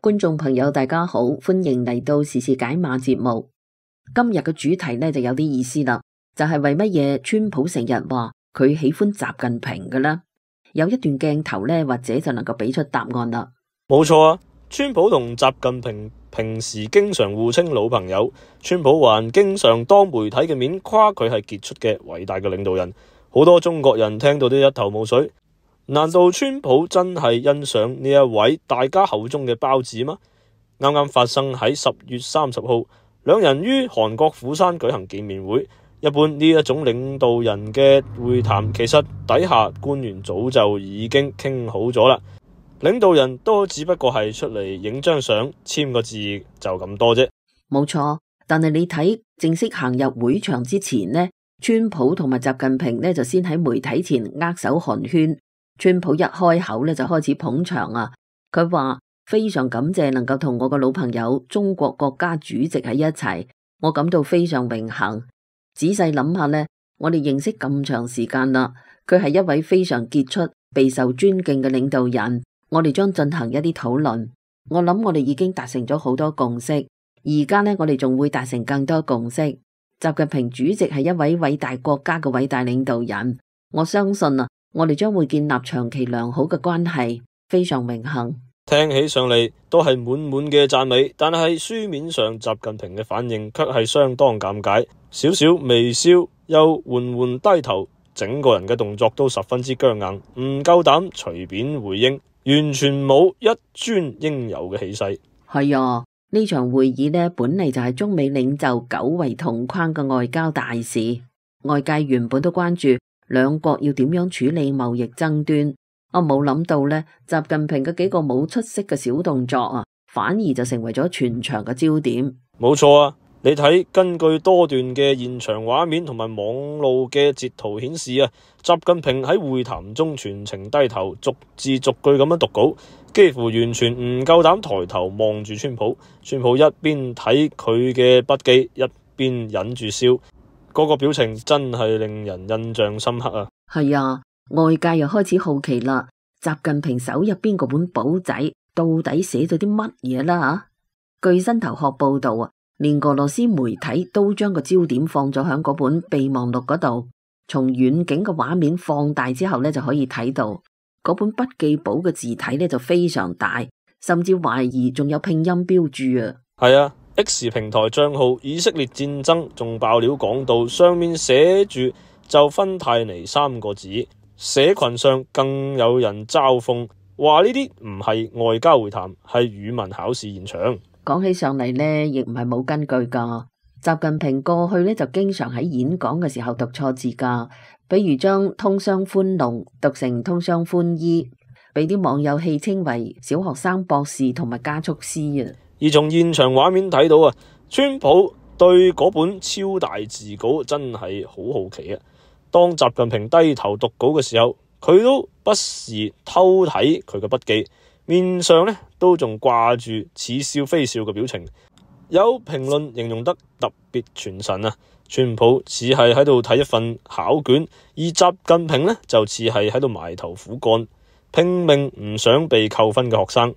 觀眾朋友大家好，歡迎嚟到時事解碼節目。今日嘅主題呢就有啲意思啦，就係為乜嘢川普成日話佢喜歡習近平嘅呢？有一段鏡頭呢，或者就能夠俾出答案啦。冇錯啊，川普同習近平平時經常互稱老朋友，川普還經常當媒體嘅面誇佢係傑出嘅偉大嘅領導人，好多中國人聽到都一頭霧水。難道川普真係欣賞呢一位大家口中嘅包子嗎？啱啱發生喺10月30號，兩人於韓國釜山舉行見面會。一般呢一種領導人嘅會談，其實底下官員早就已經傾好咗啦。領導人都只不過係出嚟影張相、簽個字就咁多啫。冇錯，但係你睇正式行入會場之前呢，川普同埋習近平呢就先喺媒體前握手寒暄。川普一開口呢就開始捧場啊！佢話非常感謝能夠同我個老朋友中國國家主席喺一齊，我感到非常榮幸。仔細諗下呢，我哋認識咁長時間啦，佢係一位非常傑出、備受尊敬嘅領導人。我哋將進行一啲討論，我諗我哋已經達成咗好多共識，而家呢，我哋仲會達成更多共識。習近平主席係一位偉大國家嘅偉大領導人，我相信啊，我哋將會建立長期良好嘅關係，非常榮幸。聽起上嚟都係滿滿嘅讚美，但係書面上習近平嘅反應卻係相當尷尬，少少微笑，又緩緩低頭，整個人嘅動作都十分之僵硬，唔夠膽隨便回應，完全冇一尊應有嘅氣勢。係啊，呢場會議呢，本嚟就係中美領袖久違同框嘅外交大事，外界原本都關注兩國要點樣處理貿易爭端，我冇諗到呢，習近平嘅幾個冇出息嘅小動作啊，反而就成為咗全場嘅焦點。冇錯啊，你睇根據多段嘅現場畫面同埋網路嘅截圖顯示啊，習近平喺會談中全程低頭，逐字逐句咁樣讀稿，幾乎完全唔夠膽抬頭望住川普。川普一邊睇佢嘅筆記，一邊忍住笑。嗰個表情真係令人印象深刻啊！係啊，外界又開始好奇啦，習近平手入邊嗰本簿仔到底寫咗啲乜嘢啦？據新頭殼報道啊，連俄羅斯媒體都將個焦點放咗響嗰本備忘錄嗰度，從遠景嘅畫面放大之後呢，就可以睇到嗰本筆記簿嘅字體呢就非常大，甚至懷疑仲有拼音標注啊！係啊。X 平台賬號以色列戰爭仲爆料講到上面寫住就芬太尼3個字，社群上更有人嘲諷話呢啲唔係外交會談，係語文考試現場。講起上嚟呢，亦唔係冇根據噶。習近平過去呢就經常喺演講嘅時候讀錯字噶，比如將通商寬農讀成通商寬衣，俾啲網友戲稱為小學生博士同埋加速師啊。而從現場畫面睇到啊，川普對嗰本超大字稿真係好好奇啊！當習近平低頭讀稿嘅時候，佢都不時偷睇佢嘅筆記，面上呢都仲掛住似笑非笑嘅表情。有評論形容得特別傳神啊！川普似係喺度睇一份考卷，而習近平呢就似係喺度埋頭苦幹，拼命唔想被扣分嘅學生。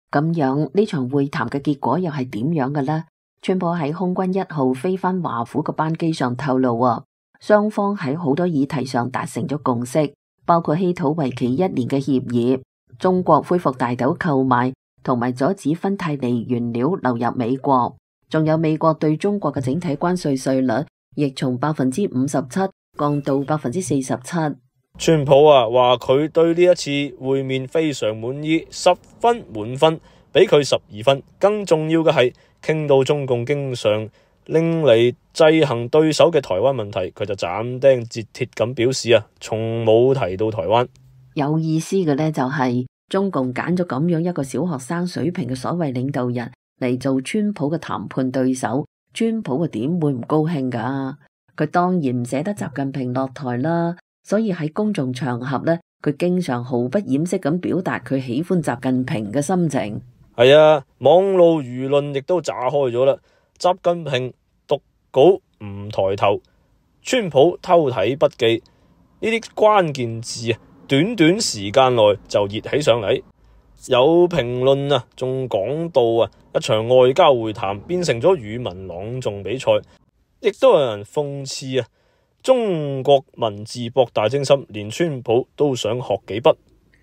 咁樣呢場會談嘅結果又係點樣嘅呢？川普喺空軍1號飛返華府嘅班機上透露啊，雙方喺好多議題上達成咗共識，包括稀土為期1年嘅協議、中國恢復大豆購買，同埋阻止芬太尼原料流入美國，仲有美國對中國嘅整體關稅稅率亦從57%降到47%。川普啊話佢對呢一次會面非常滿意，10分滿分，俾佢12分。更重要嘅係傾到中共經常拎嚟制衡對手嘅台灣問題，佢就斬釘截鐵咁表示啊，從冇提到台灣。有意思嘅呢，就係中共揀咗咁樣一個小學生水平嘅所謂領導人嚟做川普嘅談判對手，川普嘅點會唔高興噶？佢當然唔捨得習近平落台啦。所以喺公眾場合呢，佢經常毫不掩飾咁表達佢喜歡習近平嘅心情。係啊，網路輿論亦都炸開咗啦。習近平讀稿唔抬頭，川普偷睇筆記，呢啲關鍵字啊，短短時間內就熱起上嚟。有評論啊，仲講到啊，一場外交會談變成咗語文朗誦比賽，亦都有人諷刺啊，中國文字博大精深，連川普都想學幾筆。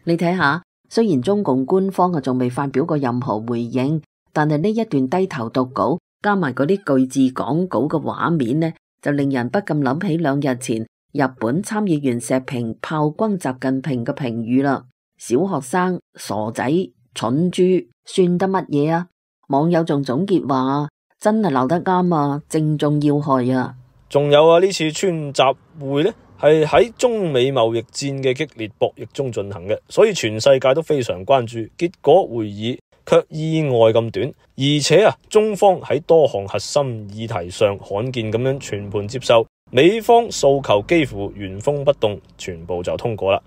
你睇下，雖然中共官方啊仲未發表過任何回應，但係呢一段低頭讀稿加埋嗰啲句字講稿嘅畫面呢，就令人不禁諗起2日前日本參議員石平炮轟習近平嘅評語啦。小學生、傻仔、蠢豬，算得乜嘢啊？網友仲總結話：真係鬧得啱啊，正中要害啊！仲有啊，呢次川習會呢係喺中美貿易戰嘅激烈博弈中進行嘅，所以全世界都非常關注。結果會議卻意外咁短，而且啊，中方喺多項核心議題上罕見咁樣全盤接受，美方訴求幾乎原封不動，全部就通過啦。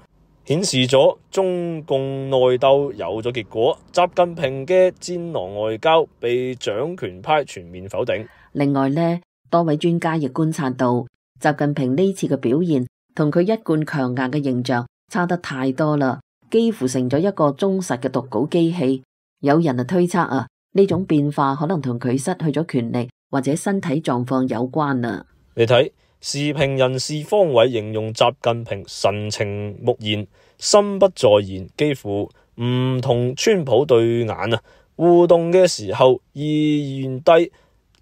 顯示咗中共內鬥有咗結果，習近平嘅戰狼外交被掌權派全面否定。另外呢，多位專家亦觀察到，習近平呢次嘅表現同佢一貫強硬嘅形象差得太多啦，幾乎成咗一個忠實嘅讀稿機器。有人推測啊，呢種變化可能同佢失去咗權力或者身體狀況有關啊。你睇。時評人士方偉形容習近平神情木然，心不在焉，幾乎唔同川普對眼啊。互動嘅時候意願低。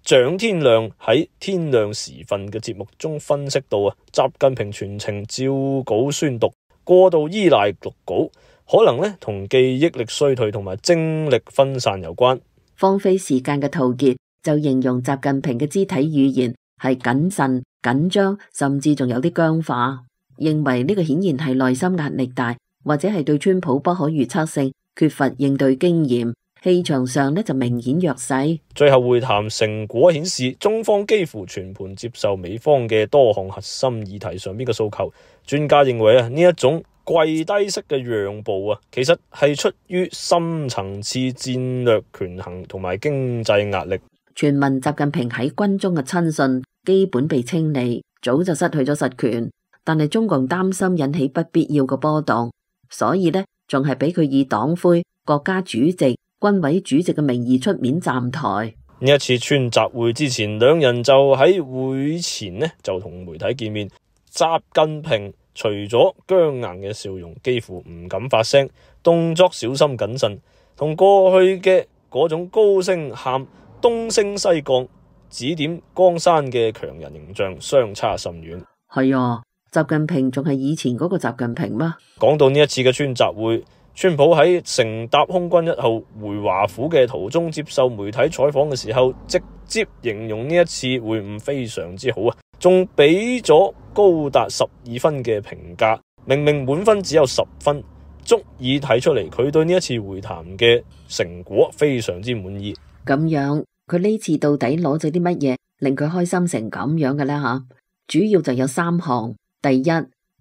蔣天亮喺天亮時分嘅節目中分析到啊，習近平全程照稿宣讀，過度依賴讀稿，可能呢同記憶力衰退同埋精力分散有關。荒廢時間嘅陶傑就形容習近平嘅肢體語言係謹慎、緊張，甚至仲有啲僵化，認為呢個顯然係內心壓力大，或者係對川普不可預測性缺乏應對經驗，氣場上呢就明顯弱勢。最後會談成果顯示，中方幾乎全盤接受美方嘅多項核心議題上邊嘅訴求。專家認為啊，呢一種跪低式嘅讓步啊，其實係出於深層次戰略權衡同埋經濟壓力。傳聞習近平喺軍中嘅親信基本被清理，早就失去咗實權，但係中共擔心引起不必要嘅波動，所以呢仲係俾佢以黨魁、國家主席、軍委主席嘅名義出面站台。呢一次川習會之前，兩人就喺會前呢就同媒體見面。習近平除咗僵硬嘅笑容，幾乎唔敢發聲，動作小心謹慎，同過去嘅嗰種高聲喊、東升西降、指點江山嘅強人形象相差甚遠。係啊，習近平仲係以前嗰個習近平嗎？講到呢一次嘅川習會，川普喺乘搭空軍1號回華府嘅途中接受媒體採訪嘅時候，直接形容呢一次會晤非常之好啊，仲俾咗高達12分嘅評價，明明滿分只有10分，足以睇出嚟佢對呢一次會談嘅成果非常之滿意。咁樣佢呢次到底攞咗啲乜嘢令佢開心成咁樣嘅呢？吓，主要就有3項。第一，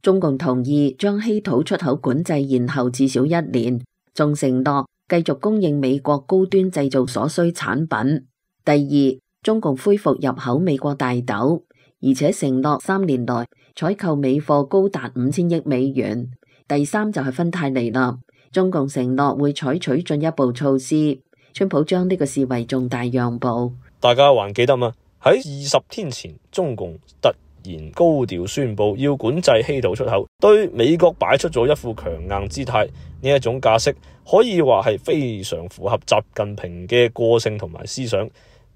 中共同意將稀土出口管制延後至少1年，仲承諾繼續供應美國高端製造所需產品。第二，中共恢復入口美國大豆，而且承諾3年內採購美貨高達5000億美元。第三就係芬太尼啦，中共承諾會採取進一步措施。川普將呢個視為重大讓步。大家還記得嗎？喺20天前，中共突然高調宣布要管制稀土出口，對美國擺出咗一副強硬姿態。呢一種架勢可以話係非常符合習近平嘅個性同埋思想。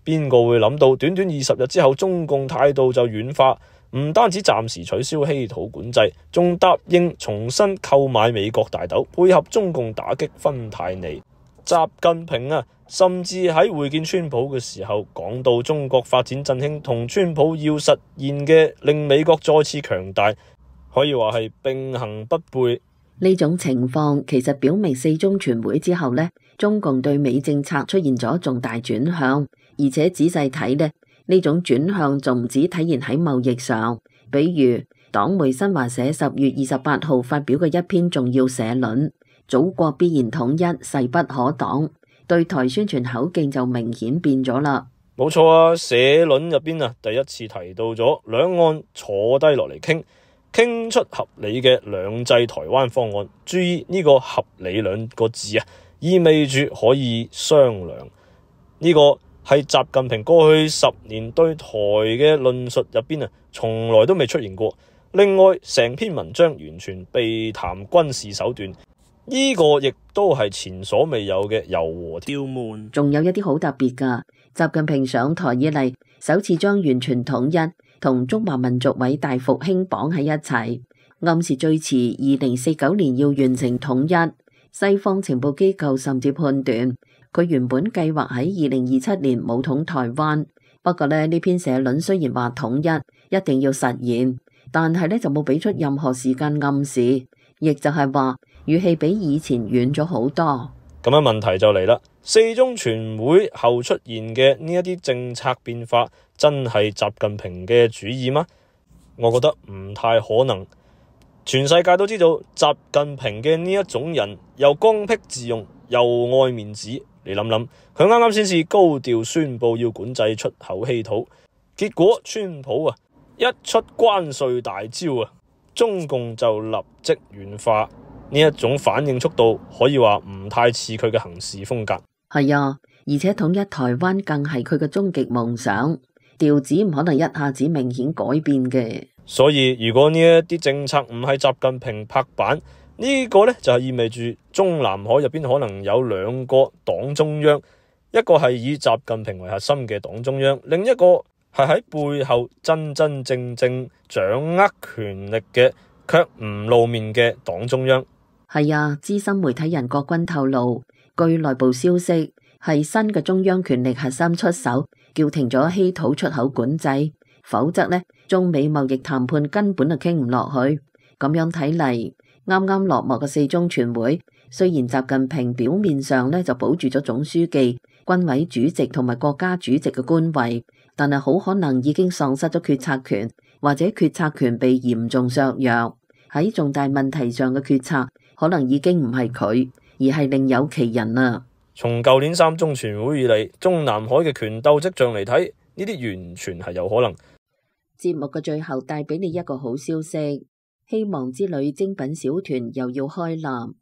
邊個會諗到短短20日之後，中共態度就軟化，唔單止暫時取消稀土管制，仲答應重新購買美國大豆，配合中共打擊芬太尼。習近平啊，甚至喺會見川普嘅時候講到中國發展振興同川普要實現嘅令美國再次強大，可以話係並行不悖。呢種情況其實表明4中全會之後呢，中共對美政策出現咗重大轉向，而且仔細睇呢種轉向仲唔止體現喺貿易上，比如黨媒新華社10月28號發表嘅一篇重要社論，祖國必然統一，勢不可擋，對台宣傳口徑就明顯變咗啦。冇錯啊，社論入邊啊，第一次提到咗兩岸坐低落嚟傾，傾出合理嘅兩制台灣方案。注意呢個合理兩個字啊，意味住可以商量。呢個係習近平過去10年對台嘅論述入邊啊，從來都未出現過。另外，成篇文章完全避談軍事手段，呢個亦都係前所未有嘅柔和刁悶。仲有一啲好特別㗎，習近平上台以嚟，首次將完全統一同中華民族偉大復興綁喺一齊，暗示最遲2049年要完成統一。西方情報機構甚至判斷，佢原本計劃喺2027年武統台灣。不過呢篇社論雖然話統一一定要實現，但係呢就冇俾出任何時間暗示，亦就係話語氣比以前軟咗好多。咁樣問題就嚟啦，四中全會後出現嘅呢一啲政策變化，真係習近平嘅主意嗎？我覺得唔太可能。全世界都知道習近平嘅呢一種人又剛愎自用又愛面子。你諗諗，佢啱啱先至高調宣布要管制出口稀土，結果川普啊一出關稅大招啊，中共就立即軟化。呢一種反應速度可以話唔太似佢嘅行事風格。係啊，而且統一台灣更係佢嘅終極夢想，調子唔可能一下子明顯改變嘅。所以如果呢一啲政策唔係習近平拍板，呢個呢就係意味住中南海入邊可能有兩個黨中央，一個係以習近平為核心嘅黨中央，另一個係喺背後真真正正掌握權力嘅卻唔露面嘅黨中央。係啊，資深媒體人郭軍透露，據內部消息，係新嘅中央權力核心出手，叫停咗稀土出口管制，否則呢，中美貿易談判根本就傾唔落去。咁樣睇嚟，啱啱落幕嘅四中全會，雖然習近平表面上呢就保住咗總書記、軍委主席同埋國家主席嘅官位，但係好可能已經喪失咗決策權，或者決策權被嚴重削弱。喺重大問題上嘅決策，可能已經唔係佢，而係另有其人啦。從舊年三中全會以嚟，中南海嘅權鬥跡象嚟睇，呢啲完全係有可能。節目嘅最後帶俾你一個好消息，希望之旅精品小團又要開艦。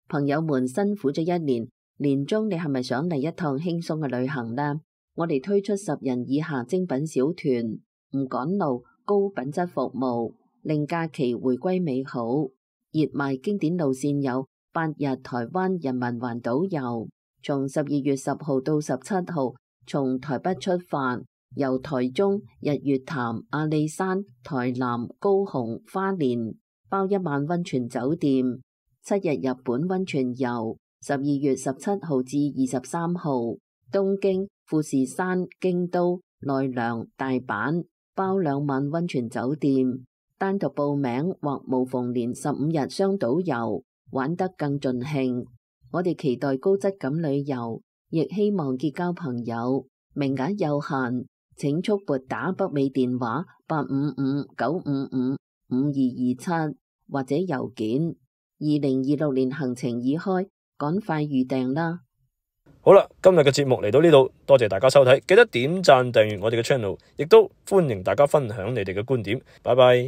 朋友們辛苦咗一年，年終你係咪想嚟一趟輕鬆嘅旅行呢？我哋推出10人以下精品小團，唔趕路，高品質服務，令假期回歸美好。熱賣經典路線有8日台灣人民環島遊，從12月10號到17號，從台北出發，由台中、日月潭、阿里山、台南、高雄、花蓮，包1晚溫泉酒店，7日日本溫泉遊，12月17號至23號，東京、富士山、京都、奈良、大阪，包2晚溫泉酒店。單獨報名或無縫連15日雙島遊，玩得更盡興。我哋期待高質感旅遊，亦希望結交朋友。名額有限，請速撥打北美電話855-955-5227或者郵件。2026年行程已開，趕快預訂啦！好啦，今日嘅節目嚟到呢度，多謝大家收睇，記得點讚訂閱我哋嘅 channel，亦都歡迎大家分享你哋嘅觀點。拜拜。